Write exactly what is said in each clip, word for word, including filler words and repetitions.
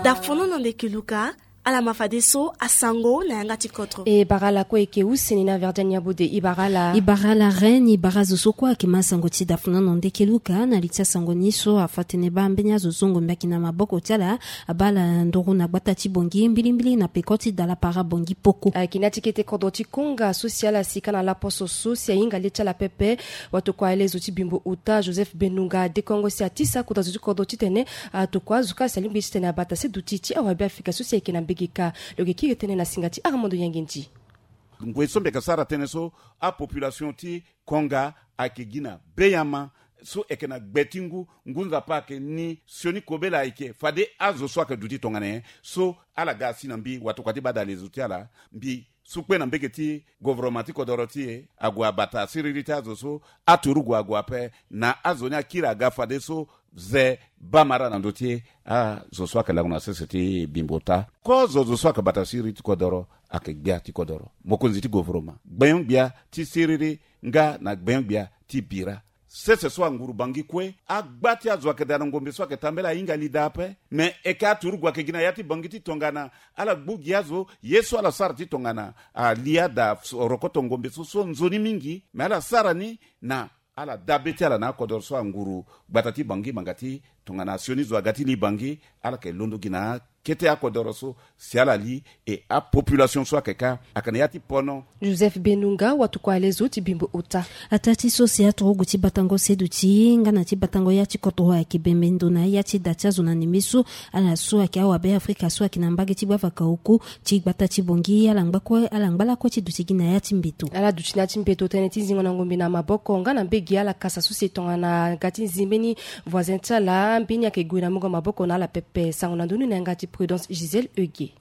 Dafono na nde keluka. Ala ma fadeso asango na yanga ti kodro. E bara ala kue eke use ni na Verdiane Nyabode. E bara ala. E bara ala reine, e bara zo so kue ayeke ma sango ti dafono na nde keluka. Na li ti asango ni so afa tene baa mbeni azo so ngombe ayeke na maboko ti ala. Abaa ala nduru na gbata ti Bangui mbilimbili na peko ti dala para Bangui poko. Ayeke na ya ti kete kodro ti Konga so si ala sika na laposo so si ahinga le ti ala pepe. Watokua alezo ti Bimbo Ota Joseph Benunga adekongo si atisa kota zo ti kodro titene atokua azo kâ si alingbi titene abata se duti ti awabe Afrika so si ayeke na mbege kâ. Lo yeke kiri tënë na singa ti Armando Yangendi. Ngoi so mbi yeke sara tënë so, apopulation ti Konga ayeke gi na beyama so eke na gbe ti ngu. Ngu Nzapa ayeke ni, sioni kobela ayeke fade azo so ayeke duti tongana nyen so ala ga asi na mbi watokua ti baa dalezo ti ala. Mbi sukpe na mbege ti govoroma ti kodoro ti e ague abata siriri ti azo so aturugu ague ape na azo ni akiri aga fadeso ze bamara na ndö ti e. Azo so ayeke lango na sese ti Bimbo Ota, kozo zo so ayeke bata siriri ti kodoro ayeke gbia ti kodoro, mokonzi ti govoroma, gbenyo-gbia ti siriri nga na gbenyo-gbia ti bira. Sese so anguru Bangui kue, agba ti azo ayeke daa na ngombe so ayeke tambela ahinga li daa ape. Me eke aturugu ayeke gi na ya ti Bangui ti tongana ala gbu gi azo ye so ala sara ti tongana ali ada rokoto ngombe so so nzoni mingi. Me ala sara ni na ala dabe ti ala na akodoro so anguru gbata ti Bangui manga ti tongana sioni zo aga ti li Bangui, ala yeke londo gi na kete akodoro so si ala li. E apopulation so ayeke kâ ayeke na ya ti pono. Joseph Benunga, watokua alezo ti Bimbo Ota. Ataa ti so si aturugu ti batango seduti nga na ti batango ya ti kodro ayeke bembe ndo na ya ti da ti azo na neme so. Ala so ayeke awabe Afrika so ayeke na mbage ti gbavaka oku ti gbata ti Bangui, ala ngba kue, ala ngba lakue ti duti gi na ya ti mbeto. Ala duti na ya ti mbeto tënë ti zingo na ngombe na maboko nga na mbege ala kasa so si e tongana ga ti nzi mbeni voisin ti ala, mbeni ayeke gue na mungo maboko na ala pepe. Sango na ndö ni na yanga ti Prudence Gisèle Eugue.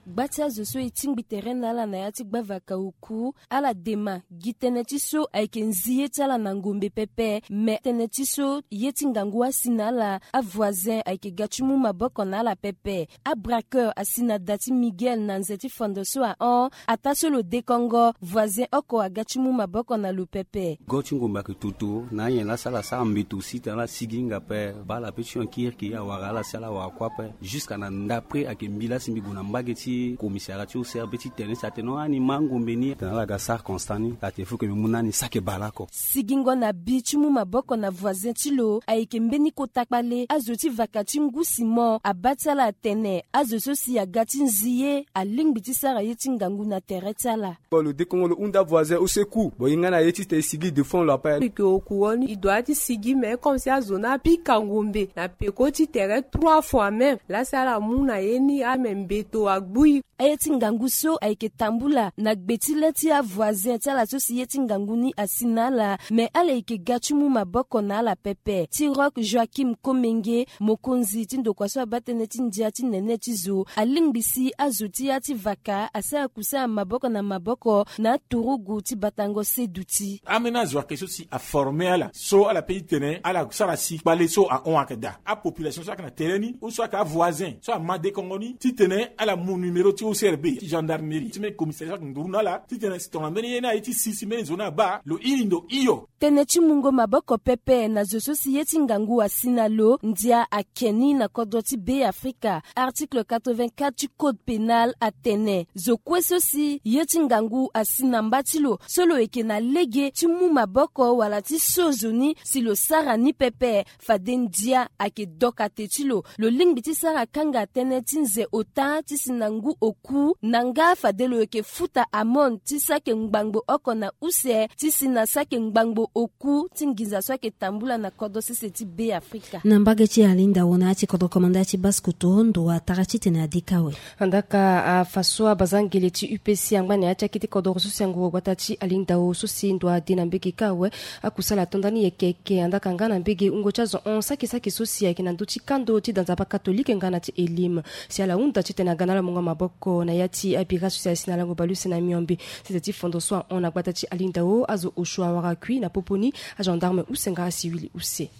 Gba ti azo so e tingbi tere na ala na ya ti gbavaka oku, ala dema gi tënë ti so ayeke nzi ye ti ala na ngombe pepe. Me tënë ti so ye ti ngangu asi na ala, avoisin ayeke ga ti mu maboko na ala pepe. Abraqueur asi na da ti Miguel na nze ti fondo so ahon. Ataa so lo dekongo, voisin oko aga ti mu maboko na lo pepe. Go ti ngombe ayeke toto na anyen laa si ala sara mbeto si tene ala sigi hinga ape. Baa ala pe ti hon kirikiri awara ala si ala wara kue ape. Jusqu'à na ndapre ayeke mbi laa si mbi gue na mbage ti commissariat ti O C R B ti tene si atene hon ani ma angombe ni. Tene ala ga sara constat ni, atene faut que mbi mu na ni saki baleoko. Sigingo na bi ti mu maboko na voisin ti lo ayeke mbeni kota kpale. Azo ti vaka ti ngu Simon abaa ti ala atene azo so si aga ti nzi ye alingbi ti sara ye ti ngangu na tere ti ala. Bon, lo dekongo lo hunda voisin au secours. Bon, e nga na ye ti tene e sigi devant lo ape. Eke oku wo ni, e doit ti sigi, mais comme si azo ni apika ngombe na peko ti tere trois fois même. Laa si ala mu na ye ni ame mbeto agbu e. Aye ti ngangu so ayeke tambula na gbe ti le ti avoisin ti ala so si ye ti ngangu ni asi na ala, me ala yeke ga ti mu maboko na ala pepe. Ti Rock Joachim Komenge, mokonzi ti ndokua so abaa tënë ti ndia ti nene ti zo, alingbi si azo ti ya ti vaka asara kusara maboko na maboko na aturugu ti batango seduti. Ambeni azo ayeke so si aforme ala so ala pe ti tene ala sara si kpale so ahon ayeke daa. Apopulation so ayeke na tere ni ou so ayeke avoisin so ama dekongo ni titene ala mu numéro ti O C R B, ti gendarmerie, ti mbeni commissariat so ayeke nduru na ala titene si tongana mbeni ye ni aye ti si si mbeni zo ni abaa, lo iri ndo hio. Tënë ti mungo maboko pepe na zo so si ye ti ngangu asi na lo, ndia ake ni na kodro ti Be Afrika. Article quatre-vingt-quatre ti code pénal atene zo kue so si ye ti ngangu asi na mba ti lo, so lo yeke na lege ti mu maboko wala ti so zo ni si lo sara ni pepe, fade ndia ayeke doka te ti lo. Lo lingbi ti sara kanga tënë ti nze ota ti si na ngu oku, na nga fade lo yeke futa amende ti saki ngbangbo oko na use ti si na saki ngbangbo oku ti nginza so ayeke tambula na kodro sese ti Be Afrika. Na mbage ti Alinda wo na ya ti kodro komanda ti Basse-Kotto, ndo atara titene ade kâ awe. Andaka afa so abazangele ti U P C angba na ya ti akete kodoro so si angoro gbata ti Alinda wo so si ndo ade na mbege kâ awe. Akusala ato ndani yeke yeke, andaka nga na mbege wungo ti azo hon saki saki so si ayeke na ndö ti kando ti da Nzapa katolike nga na ti Elim. Si ala hunda titene aga na ala mungo maboko na ya ti abira so si asi na lango baleuse na miombe. Sese ti fondo so ahon na gbata ti Alinda wo, azo osio awara kui na popo ni, agendarme use nga asiwili use.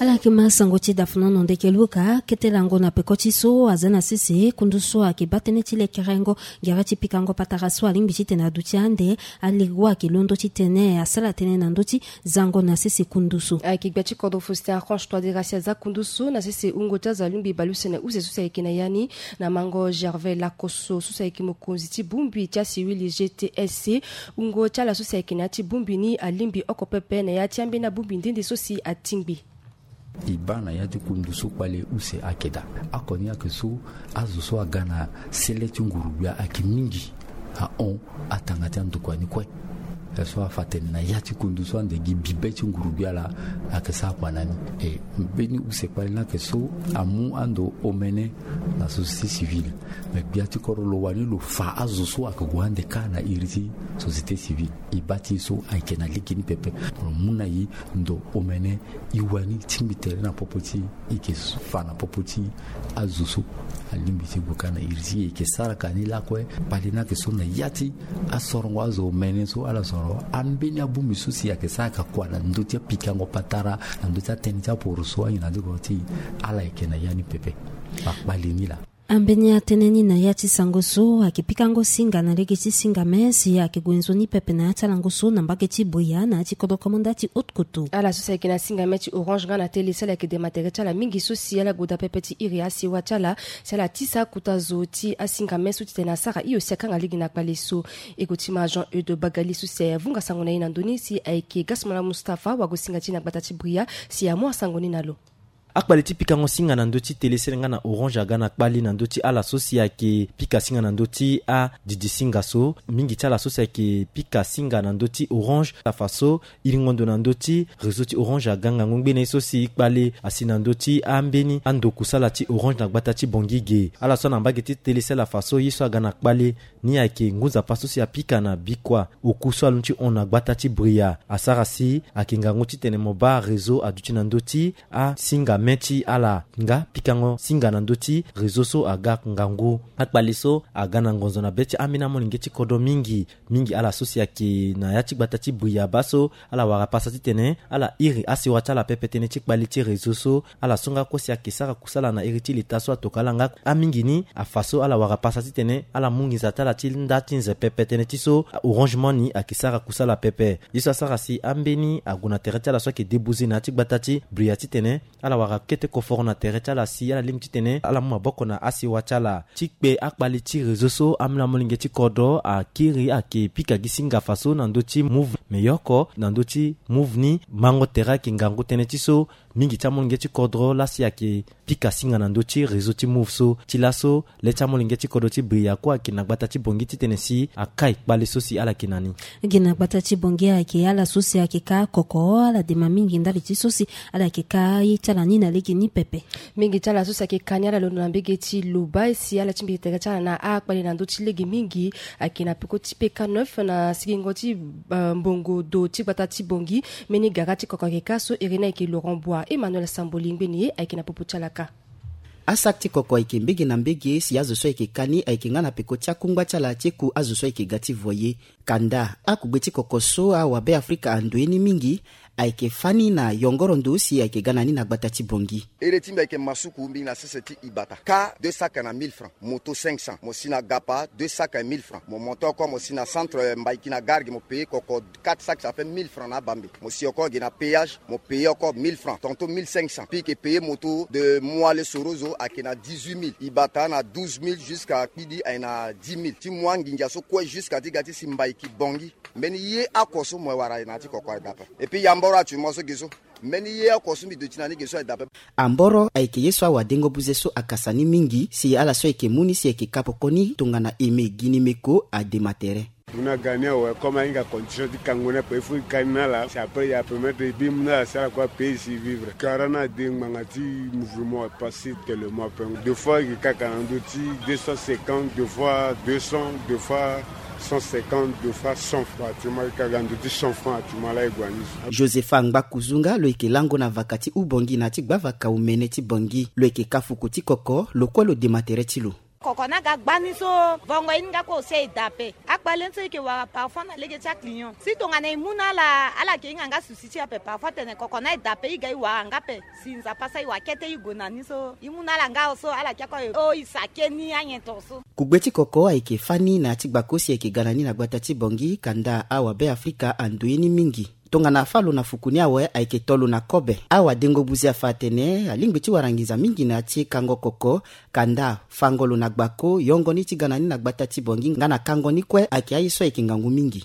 Ala yeke ma sango ti dafuna no ndeke luka kete lango na peko ti so aza na sese kundu so ayeke baa tënë ti lekerengo. Gere ti pikango patara so alingbi titene aduti ande alingbi ayeke londo titene asara tënë na ndö ti zango na sese kundu so. Ayeke gbe ti kodro Faustin Archange Touadéra si aza kundu so na sese wungo ti azo alingbi baleuse na use so si ayeke na ya ni na mango Gervais Lakoso so si ayeke mokonzi ti bongbi ti asiwili G T S C. Wungo ti ala so si ayeke na ya ti bongbi ni alingbi oko pepe na ya ti ambeni abongbi nde nde so si atingbi. E baa na ya ti kundu so kpale use ayeke daa. Oko ni ayeke so azo so aga na sele ti nguru-gbia ayeke mingi ahon atanga ti andokua ni kue. So afa atene na ya ti kundu so ande gi bibe ti nguru-gbia laa ayeke sara kua na ni. E mbeni use kpale ni ayeke so amu ando omene na société civile. Me gbia ti kodro lo wani lo fa azo so ayeke gue ande kâ na iri ti société civile. E baa ti e so ayeke na lege ni pepe. Lo mu na e ndo omene e wani tingbi tere na popo ti e, e yeke fa na popo ti azo so alingbi ti gue kâ na iri ti e, e yeke sara ka ni lakue. Kpale ni ayeke so na ya ti asorongo azo omene so ala soro ambeni abongbi so si ayeke sara ka kua na ndö ti apikango patara na ndö ti atënë ti aporoso anyi na diko ti e. Ala yeke na ya ni pepe. Akpale ni laa. Ambeni atënë ni na ya ti sango so ayeke pikango singa na lege ti singa me si ayeke gue nzoni pepe na ya ti alango so na mbage ti Bria na ya ti kodro komanda ti Haute-Kotto. Ala so si ayeke na singa me ti Orange nga na tele si ala yeke dema tere ti ala mingi so si ala gue daa pepe ti iri asewa ti ala si ala tisa kota zo ti asinga me so titene asara hio si akanga lege na kpale so. Eko ti ma Jean Eude Bagali so si avunga sango na e na ndö ni si ayeke Gasmala Mustapha wago singa ti e na gbata ti Bria si amu asango ni na lo. Akpale ti pikango singa na ndö ti tele sere nga na Orange aga na kpale na ndö ti ala so si ayeke pika singa na ndö ti adidi singa so. Mingi ti ala so si ayeke pika singa na ndö ti Orange afa so iringo ndo na ndö ti réseau ti Orange aga ngangu ngbene so si kpale asi na ndö ti ambeni ando kusala ti Orange na gbata ti Bangui ge. Ala so na mbage ti tele sere afa so ye so aga na kpale ni ayeke ngu nzapa so si apika na bikua oku so aloni ti hon na gbata ti Bria. Asara si ayeke ngangu titene mo baa réseau aduti na ndö ti asinga me ti ala nga pikango singa na ndö ti réseau so aga ngangu. Akpale so aga na ngonzo na be ti ambeni amolenge ti kodro mingi. Mingi ala so si ayeke na ya ti gbata ti Bria baa so ala wara pasa titene ala iri asewa ti ala pepe tënë ti kpale ti réseau so. Ala so nga kue si ayeke sara kusala na iri ti leta so atokua ala nga. Amingi ni afa so ala wara pasa titene ala mu nginza ti ala ti nda ti nze pepe tënë ti so Orange Money ayeke sara kusala pepe. Ye so asara si ambeni ague na tere ti ala so ayeke débouze na ya ti gbata ti Bria titene ala wara kete koforo na tere ti ala si ala lingbi titene ala mu maboko na asewa ti ala. Ti kpe akpale ti réseau so amolenge ti kodro akiri ayeke pika gi singa afa so na ndö ti Moov. Me ye oko na ndö ti Moov ni mango tere ayeke ngangu tënë ti so mingi ti amolenge ti kodro laa si ayeke pika singa na ndö ti réseau ti Moov so. Ti laso le ti amolenge ti kodro ti Bria kue ayeke na gbata ti Bangui titene si akai kpale so si ala yeke na ni. Gi na gbata ti Bangui ayeke ala so si ayeke kâ koko ala dema mingi ndali ti so si ala yeke kâ ye ti ala ni na lege ni pepe. Mingi ti ala so si ayeke kâ ni ala londo na mbege ti Loba si ala ti mbege tere ti ala na akpale na ndö ti lege mingi. Ayeke na peko ti P K neuf na sigingo ti, eh, mbongo do ti gbata ti Bangui. Mbeni gara ti koko ayeke kâ so iri ni ayeke Laurent Bois. Emmanuel Samboli ngbeni ye ayeke na popo ti ala kâ. Asac ti koko ayeke mbege na mbege si azo so ayeke kâ ni ayeke nga na peko ti akungba ti ala ti eku azo so ayeke ga ti voye. Kanda akugbe ti koko so awabe Afrika ando ye ni mingi ayeke fani na yongoro ndo si ayeke ga na ni na gbata ti Bangui. Ere ti mbi ayeke Masuku, mbi na sese ti Ibata. Kâ deux sacs na mille francs, moto cinq cents. Mo si na Gapa, deux sacs et mille francs. Mo monte encore, mo si na centre, eh, Mbaiki na gare ge, mo paye koko quatre sacs, ça fait mille francs na abambe. Mo si encore ge na péage, mo paye encore mille francs, tantôt mille cinq cents. Puis ke paye moto de Moale Sorozo ayeke na dix-huit mille. Ibata na douze mille, jusqu'à Kpidi ayeke na dix mille. Ti mu anginza so kue jusqu'à ti ga ti si Mbaiki Bangui. Mbeni ye oko so mo wara na ya ti koko aye daa ape. Et puis ya mboro atu mo so ge so. Mbeni ye oko so mbi duti na ni ge so aye daa ape. Amboro ayeke ye so awadengo buze so akasa ni mingi si ala so ayeke mu ni si ayeke kâ pokoni tongana Aimé Ginimeko adema tere. Mu na ga ni awe, comme ahinga condition ti kango ni ape, il faut e kâ ni na ala, c'est après e permettre e bi mu na ala si ala kue apaye si e vivre. Kara ni ade ngbanga ti mouvement aye pas si tellement ape. Deux fois e yeke kaka na ndö ti deux cent cinquante, deux fois deux cents, deux fois cent cinquante, deux fois cent francs. Actuellement e yeke kaka na ndö ti cent francs actuellement laa e gue na ni so. Josepha Ngbakuzu nga lo yeke lango na vaka ti Ubangui na ya ti gbavaka omene ti Bangui. Lo yeke kâ fuku ti koko, lo kue lo dema tere ti lo. Koko na aga gbani so vongo ye ni nga kue ose e da ape. Akpale ni so e yeke wara parfois na lege ti aclient si tongana e mu na ala ala yeke hinga nga souci ti e ape parfois tene koko na e da ape e ga e wara nga ape. Si nzapa asara e wa kete e gue na ni so e mu na ala nga so ala kia kue o e sake ni anyen tongaso. Kugbe ti koko ayeke fani na ya ti gbako si ayeke ga na ni na gbata ti bongi kanda awabe afrika ando ye ni mingi. Tongana afa lo na fuku ni awe ayeke to lo na kobe. Awadengo buzi afa atene alingbi ti wara nginza mingi na ya ti kango koko kanda fango lo na gbako yongo ni ti ga na ni na gbata ti bongi nga na kango ni kue ayeke aye so ayeke ngangu mingi.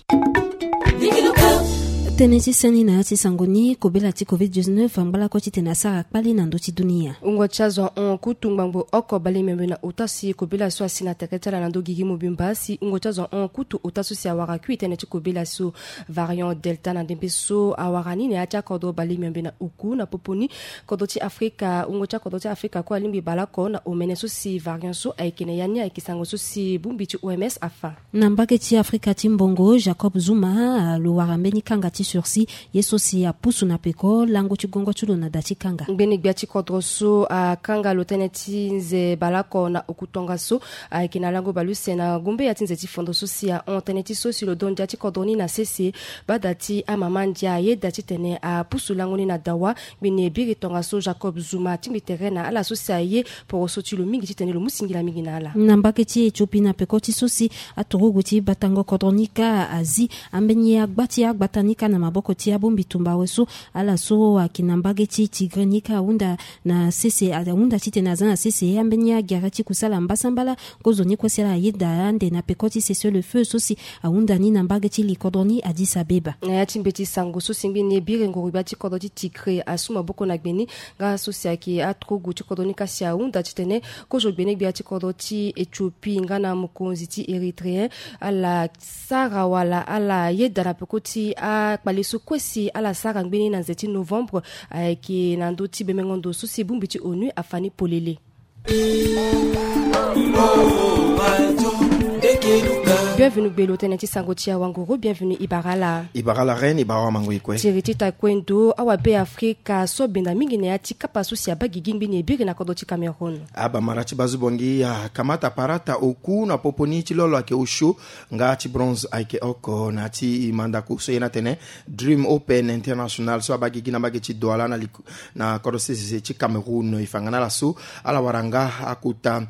Tënë ti seni na ya ti sango ni kobela ti covid dix-neuf angba lakue titene asara kpale na ndö ti dunia. Wungo ti azo ahon kutu ngbangbo oko bale miombe na ota si kobela so asi na tere ti ala na ndö gigi mobimba si wungo ti azo ahon kutu ota so si awara kui tënë ti kobela so variant delta na ndembe so awara ni na ya ti akodro bale miombe na oku na popo ni. Kodro ti afrika wungo ti akodro ti afrika kue alingbi baleoko na omene so si variant so ayeke na ya ni ayeke sango so si bongbi ti oms afa. Na mbage ti afrika ti mbongo jacob zuma lo wara mbeni kanga ti sursis ye so si apusu na peko lango ti gongo ti lo na da ti kanga. Ngbene gbia ti kodro so akanga lo tënë ti nze baleoko na oku tongaso ayeke na lango baleuse na gumbe ya ti nze ti fondo so si ahon tënë ti so si lo dondia ti kodro ni na sese. Bada ti amama ndia ayeda titene apusu lango ni na dawa. Ngbene biri tongaso jacob zuma atingbi tere na ala so si aye poroso ti lo mingi titene lo mu singila mingi na ala. Na mbage ti ethiopie na peko ti so si aturugu ti batango kodro ni kâ azi ambeni agba ti agbata ni kâ na maboko ti abongbi tumba awe so ala so ayeke na mbage ti tigre ni kâ ahunda na sese ahunda titene aza na sese ambeni agere ti kusala mbasambala. Kozo ni kue si ala ayeda ande na peko ti cessez le feu so si ahunda ni na mbage ti likodro ni addis abeba. Na ya ti mbeti sango so si ngbene biri nguru gbia ti kodro ti tigre asu maboko na gbe ni nga so si ayeke aturugu ti kodro ni kasi ahunda titene kozo gbene gbia ti kodro ti ethiopie nga na mokonzi ti érythréen ala sara wala ala yeda na peko ti akpale so kue si ala sara ngbene na nze ti novembre ayeke na ndö ti bemengo ndo so si bongbi ti onu afa ni polele. Bienvenu gbelo tënë ti sango ti awanguru bienvenu ibara ala. Ibara ala reine ibara wamango e kue. Tiri ti taekwondo awabe afrika so benda mingi na ya ti kapa so si abaa gigi ngbene biri na kodro ti cameroun. Abamara ti bazu bongi akamata parata oku na popo ni ti lolo ayeke osio nga ti bronze ayeke oko na ya ti mandako so ye ni atene dream open international so abaa gigi na mbage ti douala na liku na kodro sese ti cameroun e fa nga na ala so ala wara nga akota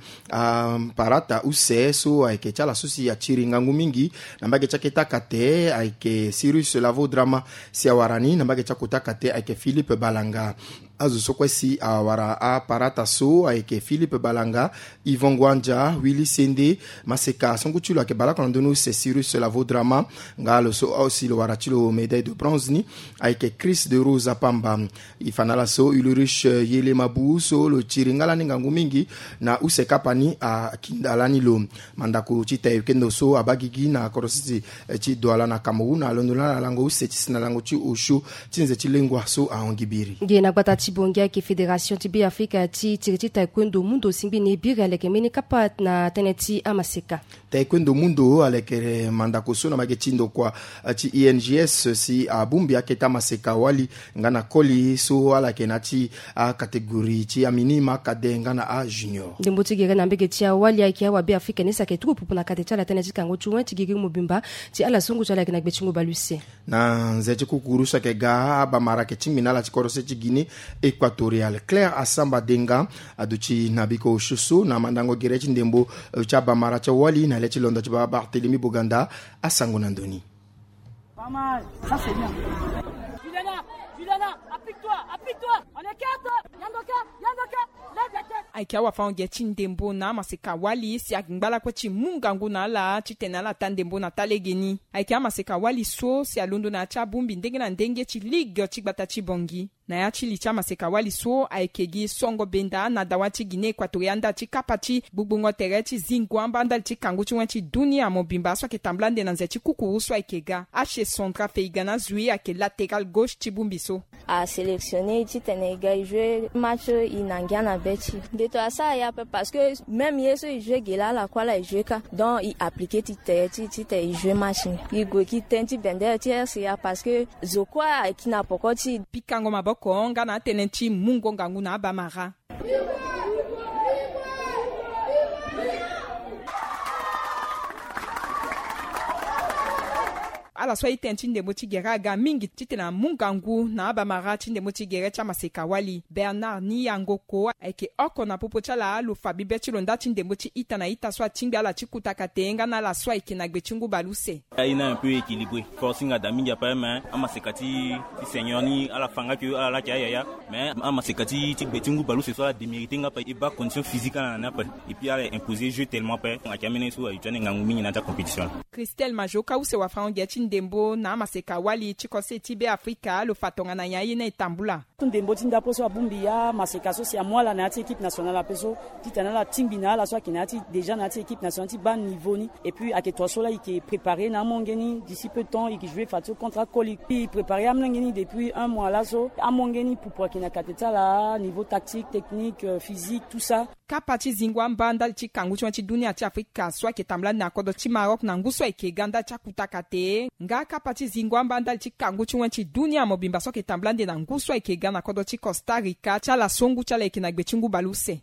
parata use so ayeke ti ala so si atiri ngangu mingi na mbage ti akete akate ayeke sirus lavo drama si awara ni na mbage ti akota akate ayeke philippe balanga. Azo so kue si awara aparata so ayeke philippe balanga, yvon guanja, willy sende, maseka asangu ti lo ayeke baleoko na ndö ni use sirus lavo drama. Nga lo so aussi lo wara ti lo médaille de bronze ni ayeke chris de rose apamba. E fa na ala so ulrich yele mabu so lo tiri nga lani ngangu mingi na use kapa ni akinda lani lo. Mandako ti taekwondo so abaa gigi na kodro sese ti douala na cameroun alondo lani na lango use ti si na lango ti osio ti nze ti lengua so ahon gi biri. Nge na gbata ti bongi ayeke fédération ti beafrika ti tiri ti taekwondo mundo si ngbene biri aleke mbeni kapa na tënë ti amaseka. Taekwondo mundo aleke mandako so na mbage ti ndokua ti ings si abongbi akete amaseka wali nga na koli so ala yeke na ya ti akategori ti aminima kade nga na ajunior. Ndembo ti gere na mbege ti awali ayeke awabe afrika ni si ayeke tuku pupu na kate ti ala tënë ti kango ti wen ti gigi mobimba ti ala so ngu ti ala ayeke na gbe ti ngu baleuse. Na nze ti kukuru so ayeke ga abamara ayeke tingbi na ala ti kodro se ti guinée équatoriale claire asamba denga aduti na biko osio so na mandango gere ti ndembo ti abamara ti awali na le ti londo ti baba barthélémy boganda. Asango na ndoni. Ayeke awafango-ge ti ndembo na amaseka wali si angba lakue ti mu ngangu na ala titene ala taa ndembo na taa legeni. Ayeke amaseka wali so si alondo na ya ti abongbi ndenge na ndenge ti ligue ti gbata ti bongi. Na ya ti li ti amaseka wali so ayeke gi songo benda na dawa ti guinée équatoriale nda ti kapa ti gbugbungo tere ti zingo amba ndali ti kangu ti wen ti dunia mobimba so ayeke tambula nde na nze ti kukuru so ayeke ga. Ashe sondra feiga na zui ayeke latéral gauche ti bongbi so. Asélectionné e titene e ga e joué match e na ngia na be ti e. Nde to asara ye ape parce que même ye so e joué ge laa ala kue ala e joué kâ. Donc e appliqué ti tere ti e titene e joué match ni. E gue gi tënë ti bendere ti rca parce que zo kue ayeke na poko ti e. Pikango maboko nga na atënë ti mungo ngangu na abamara. Ala so aye tënë ti ndembo ti gere aga mingi titene amu ngangu na abamara ti ndembo ti gere ti amaseka-wali. Bernard Niyangoko ayeke oko na popo ti ala lo fa bibe ti lo nda ti ndembo ti ita na ita so atingbi ala ti kuta kate nga na ala so ayeke na gbe ti ngu baleuse. Aye ni un peu équilibré. Forcing ada mingi ape, mais amaseka ti ti seigneur ni ala fa nga ke ala laa ayeke ayaya. Mais amaseka ti ti gbe ti ngu baleuse so ala démérité nga ape, e baa condition physique ala na ni ape. Et puis ala imposer jeu tellement ape, ayeke ameni so aye ti ande ngangu mingi na ya ti acompétition. Christelle Majoka use wafango gere ti ndembo na amaseka-wali ti kose ti Be Afrika lo fa tongana nyen aye ni e tambula. Ndembo ti ndapo so abongbi amaseka so si amu ala na ya ti équipe nationale ape so, titene ala tingbi na ala so ayeke na ya ti déjà na ya ti équipe nationale ti baa niveau ni. Et puis ayeke tua so laa e yeke préparer na amolenge ni d'ici peu de temps, e yeke jouer fa ti so contre akoli. E préparer amolenge ni depuis un mois laso. Amolenge ni pupu ayeke na kate ti ala, niveau tactique, technique, euh, physique, tout ça. Kapa ti zingo amba ndali ti kangu ti wen ti dunia ti Afrika so ayeke tambula ande na kodro ti Maroc na ngu so ayeke ga ndali ti akuta kate. Nga kapa ti zingo amba ndali ti kangu ti wen ti dunia mobimba so ayeke tambula ande na ngu so ayeke ga na kodro ti Costa Rica ti ala so ngu ti ala ayeke na gbe ti ngu baleuse.